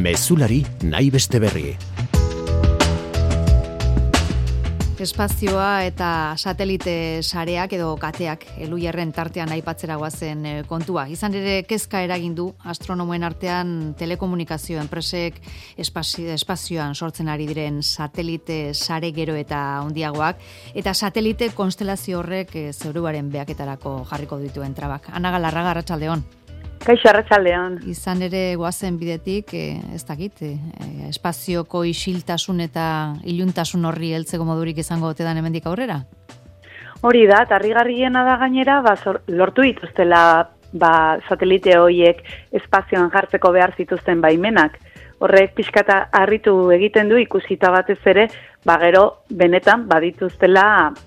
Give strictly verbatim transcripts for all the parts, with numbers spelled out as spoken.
Mezulari nahi beste berri. Espazioa eta satelite sareak edo kateak Elujarren tartean aipatzera goazen kontua. Izan ere kezka eragin du astronomoen artean telekomunikazio enpresek espazio, espazioan sortzen ari diren satelite sare gero eta handiagoak eta satelite konstelazio horrek zeuruaren behaketarako jarriko dituen trabak. Ana Galarraga, arratsaldeon. Kaixo, arratsaldeon. Izan ere goazen bidetik, eh, ez dakit, eh, espazioko isiltasun eta iluntasun horri heltzeko modurik izango ote dan hemendik aurrera? Hori da, tarrigarriena da gainera, ba, lortu dituztela ba, satelite horiek espazioan jartzeko behar zituzten baimenak. Horrek pixkata harritu egiten du ikusita batez ere, ba gero benetan badituztela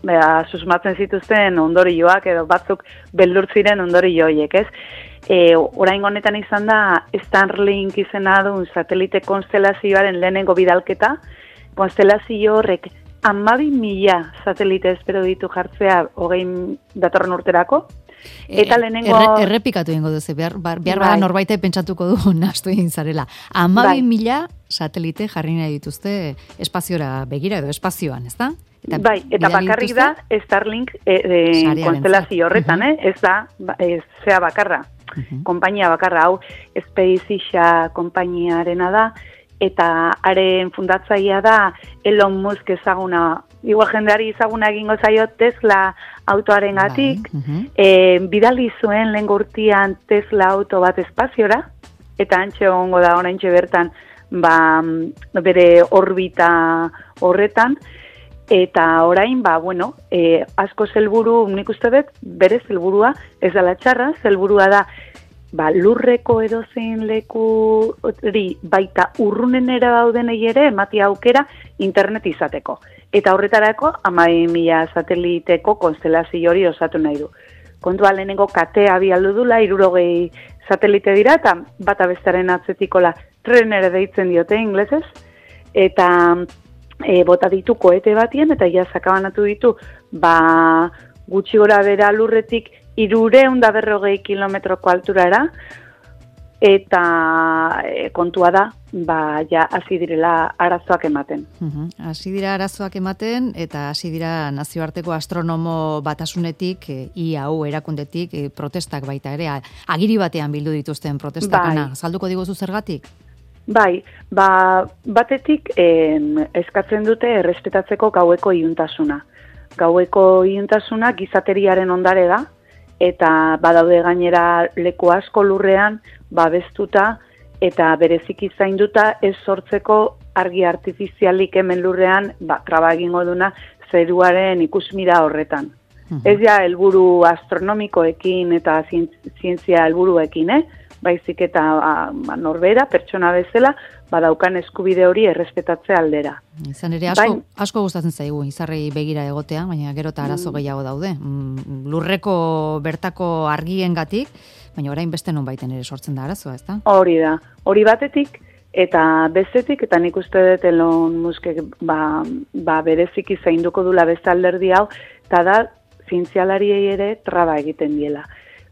ba, susmatzen zituzten ondorioak edo batzuk beldurtziren ondorio horiek, ez? E, orain honetan izan da Starlink izena duen satelite konstelazioaren lehenengo bidalketa. Konstelazio horrek hamabi mila satelite espero ditu jartzea hogei datorren urterako. Eta lehenengo... Erre, errepikatu egingo duzu, behar, behar bada norbaite pentsatuko du nahastu egin zarela. hamabi mila satelite jarri nahi dituzte espaziora begira edo espazioan, ez da? Eta bai, eta bakarrik dituzte? Da Starlink e, e, konstelazio horretan, uh-huh. eh? ez da, ez zea bakarra. Uh-huh. Konpainia bakarra, hau SpaceX konpainiarena da, eta haren fundatzailea da Elon Musk ezaguna, igual jendeari ezaguna egingo zaio Tesla autoaren gatik, bai. uh-huh. e, bidali zuen lehen urtean Tesla auto bat espaziora, eta antxe ongo da oraintxe bertan ba, bere orbita horretan, eta orain, ba, bueno, e, asko zelburu, nik uste dut, bere zelburua, ez dela txarra, zelburua da, ba, lurreko edozein leku hori baita urrunenera daudenei ere emati aukera internet izateko. Eta horretarako hamabi mila sateliteko konstelazio hori osatu nahi du. Kontua lehenengo katea bialdu dula, hirurogei satelite dira, eta bata bestaren atzetikola trenere deitzen diote inglesez, eta e, bota ditu koete batien, eta ja sakabanatu ditu, ba, gutxi gora bera lurretik hirureun da berrogei kilometroko alturara, eta e, kontua da, ba, ja, hasi direla arazoak ematen. Uh-huh. Hasi dira arazoak ematen, eta hasi dira nazioarteko astronomo batasunetik, e, I A U erakundetik, e, protestak baita ere, agiri batean bildu dituzten protestakana. Bai. Zalduko diguzu zergatik? Bai, ba, batetik eh, eskatzen dute errespetatzeko gaueko iluntasuna. Gaueko iluntasuna gizateriaren ondare da, eta badaude gainera leku asko lurrean babestuta eta bereziki zainduta ez sortzeko argi artifizialik hemen lurrean ba, traba egingo duna zeruaren ikusmira horretan. Uh-huh. Ez ja helburu astronomikoekin eta zientzia helburuekin, eh? Baizik eta ba, norbera, pertsona bezala, badaukan eskubide hori errespetatze aldera. Izan ere, asko, Bain, asko gustatzen zaigu, izarrei begira egotea, baina gero eta arazo gehiago daude. Lurreko bertako argiengatik, baina orain beste non baiten ere sortzen da arazoa, ez da? Hori da, hori batetik, eta bestetik, eta nik uste dut Elon Muskek ba, ba bereziki zainduko dula beste alderdi hau, eta da, zientzialariei ere traba egiten diela.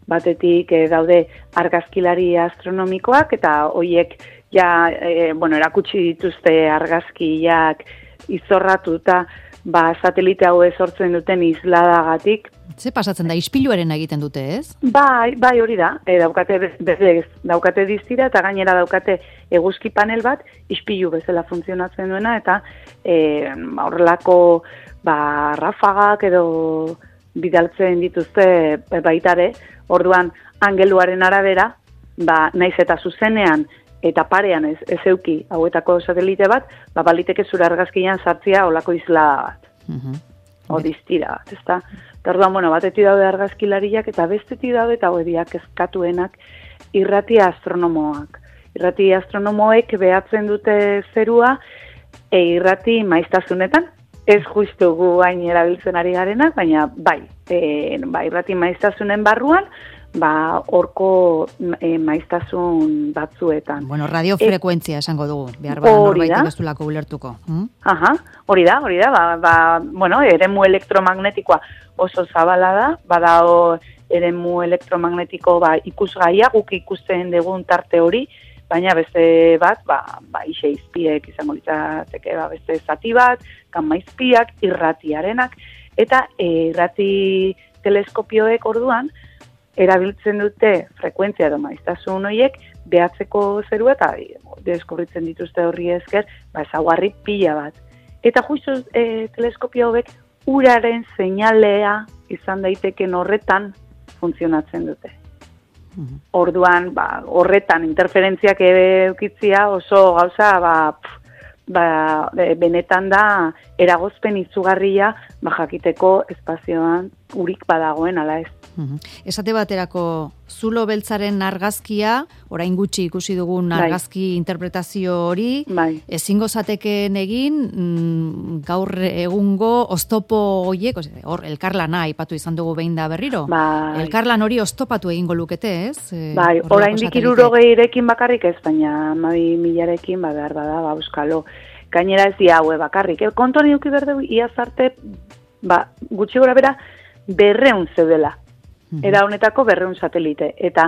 Batetik e, daude argazkilari astronomikoak eta hoiek ja e, bueno, erakutsi dituzte argazkiak izorratuta ba satelite hau sortzen duten isladagatik. Ze pasatzen da ispiluaren egiten dute, ez? Bai, bai hori da. E, daukate bez, daukate diztira eta gainera daukate eguzki panel bat ispilu bezala funtzionatzen duena eta e, horrelako ba rafagak edo bidaltzen dituzte baitare. Orduan, angeluaren arabera, ba, naiz eta zuzenean eta parean ez, ez euki hauetako satelite bat, ba, baliteke zure argazkian sartzia olako islada bat. Uh-huh. O diztira bat, ezta? Eta orduan, bueno, batetik daude argazkilariak eta bestetik daude eta hoediak eskatuenak irrati astronomoak. Irrati astronomoek behatzen dute zerua e, irrati maiztasunetan, ez justu gu hain erabiltzen ari garenak, baina bai, e, ba, irrati maiztasunen barruan, ba, orko e, maiztasun batzuetan. Bueno, radiofrekuentzia e, esango dugu, behar bada norbaitek ez dulako ulertuko. Hmm? Aha, hori da, hori da, ba, ba, bueno, eremu elektromagnetikoa oso zabala da, badao eremu elektromagnetiko ba, ikusgaia, guk ikusten dugun tarte hori, baina beste bat, ba, ba iseizpiek izango litzateke, ba, beste zati bat, kanmaizpiak, irratiarenak, eta e, irrati teleskopioek orduan, erabiltzen dute frekuentzia edo maiztasun horiek behatzeko zerua eta deskubritzen dituzte horri esker, ba, ezaugarri pila bat. Eta justu e, teleskopio hauek uraren seinalea izan daiteken horretan funtzionatzen dute. Mm-hmm. Orduan, ba, horretan interferentziak eukitzia oso gauza, ba, pff, ba, benetan da eragozpen izugarria ba, jakiteko espazioan urik badagoen, ala ez. Uhum. Esate baterako zulo beltzaren argazkia, orain gutxi ikusi dugun argazki bai. Interpretazio hori, bai. Ezingo zateken egin mm, gaur egungo oztopo horiek, hor elkarlana aipatu izan dugu behin da berriro. Bai. Elkarlan hori oztopatu egingo lukete, ez? Bai, orain dikirurogeirekin bakarrik ez, baina amabi milarekin ba, behar bada, ba, euskalo. Gainera ez dia haue bakarrik. El kontuan iuki berde, iaz arte, ba, gutxi gora bera, berreun zeudela. Era honetako berreun satelite. Eta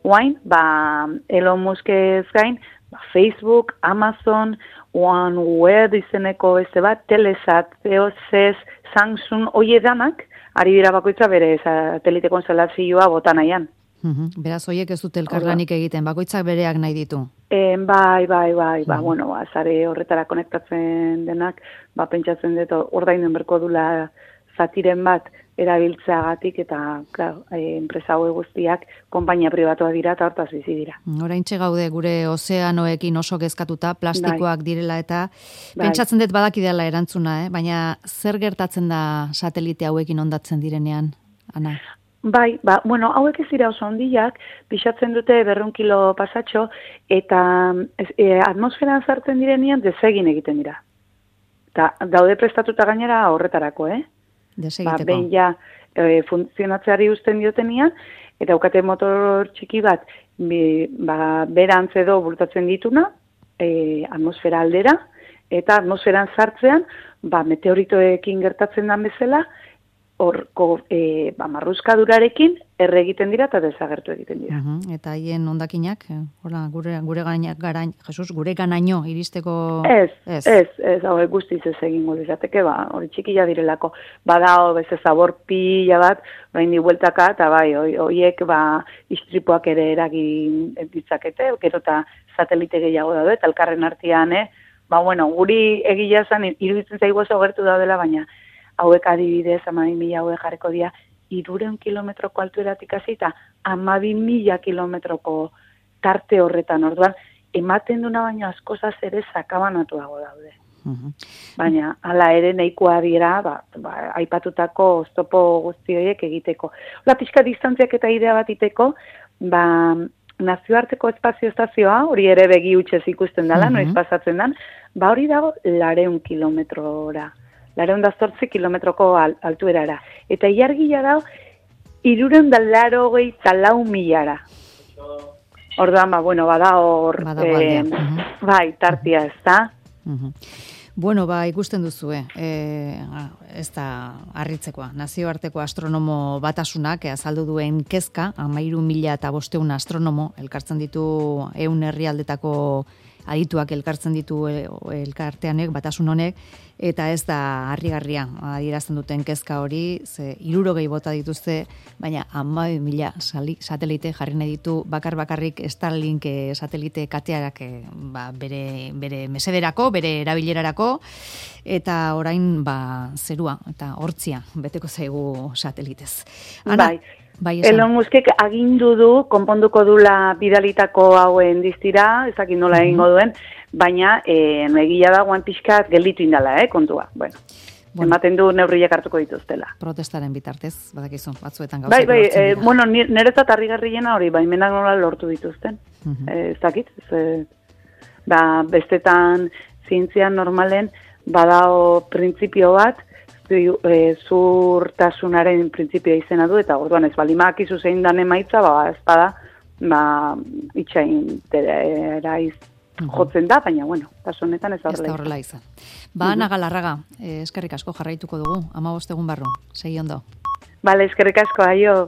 oain, ba, Elon Muskez gain, ba, Facebook, Amazon, OneWeb izeneko beste bat, Telesat, Eosys, Samsung, hoi edanak, ari dira bakoitza bere satelite konstelazioa bota nahian. Uhum. Beraz, hoiek ez dute elkarlanik egiten, bakoitzak bereak nahi ditu. E, bai, bai, bai, ba, bueno, ba, zare horretara konektatzen denak, ba, pentsatzen dut, ordainen berko dula zatiren bat, erabiltzeagatik eta klar, e, enpresa hau guztiak konpainia pribatuak dira eta hortaz bizi dira. Oraintxe gaude gure ozeanoekin oso kezkatuta, plastikoak bai. Direla eta bai. Pentsatzen dut badakidala erantzuna, eh? Baina zer gertatzen da satelite hauekin ondatzen direnean, Ana? Bai, ba, bueno, hauek ez dira oso ondiak, pixatzen dute berrehun kilo pasatxo eta e, atmosferan sartzen direnean desegin egiten dira. Eta daude prestatuta gainera horretarako, eh? Ba, behin ja e, funtzionatzeari uzten diotenean, eta aukate motor txiki bat bi, ba, berantz edo bultatzen dituna, e, atmosfera aldera, eta atmosferan sartzean, ba, meteoritoekin gertatzen den bezala, horko e, ba, marruskadurarekin erre egiten dira eta desagertu egiten dira. Uh-huh. Eta haien hondakinak, hola, gure, gure gainak garain, Jesus, gure ganaino iristeko... Ez, ez, ez, ez hau guztiz ez egingo dizateke, ba, hori txikila direlako, badao, beze zabor pila bat, orain di bueltaka, eta bai, horiek, ba, istripuak ere eragin ditzakete, gero eta satelite gehiago daude, eta elkarren artean, eh? Ba, bueno, guri egila zan, iruditzen zaigu oso gertu daudela, baina hauek adibidez, amabi mila hauek jarriko dira, irureun kilometroko altueratik hasi eta amabi mila kilometroko tarte horretan, orduan, ematen duna baino askozaz ere sakabanatuago daude. Uh-huh. Baina, hala ere nahikoa dira, ba, ba, aipatutako oztopo guzti horiek egiteko. Ola, pixka distantziak eta idea bat iteko, ba, nazioarteko espazio estazioa, hori ere begi utxez ikusten dela, uh-huh. Noiz pasatzen dan, ba hori dago lareun kilometrora. Lareun da zortzi kilometroko altuerara. Eta iargila dago, irureun da laro gehi talau milara. Orduan, ba, bueno, bada hor, eh, uh-huh. bai, tartia ez da. Uh-huh. Bueno, ba, ikusten duzu, eh? Ez da harritzekoa. Nazioarteko astronomo batasunak azaldu duen kezka, amairu mila eta bosteun astronomo, elkartzen ditu ehun herrialdetako adituak elkartzen ditu elkarteanek, batasun honek, eta ez da harrigarria adierazten duten kezka hori, ze hirurogei bota dituzte, baina hamabi mila satelite jarri nahi ditu bakar bakarrik Starlink satelite katearak ba, bere, bere mesederako, bere erabilerarako, eta orain ba, zerua eta hortzia beteko zaigu satelitez. Ana, bai. Bai, Elon Muskek agindu du, konponduko dula bidalitako hauen diztira, ezakit nola egingo duen, baina e, egia da guan pixkat gelditu indala, eh, kontua. Bueno, bueno. Ematen du neurriak hartuko dituztela. Protestaren bitartez, badakizu, batzuetan gauzak. Bai, bai, e, bueno, niretzat harrigarriena hori, baimenak nola lortu dituzten. Uh-huh. E, ezakit, ez, ba, bestetan zientzian normalen badao printzipio bat, zurtasunaren printzipioa izena du, eta orduan ez balimak izu zein dan emaitza, ba, ez bada, ba, itxain teraiz jotzen da, baina, bueno, kasu honetan ez horrela, ez horrela izan. Ba, Ana Galarraga, eskerrik asko jarraituko dugu, hamabost egun barru, segi ondo. Bale, eskerrik asko, aio.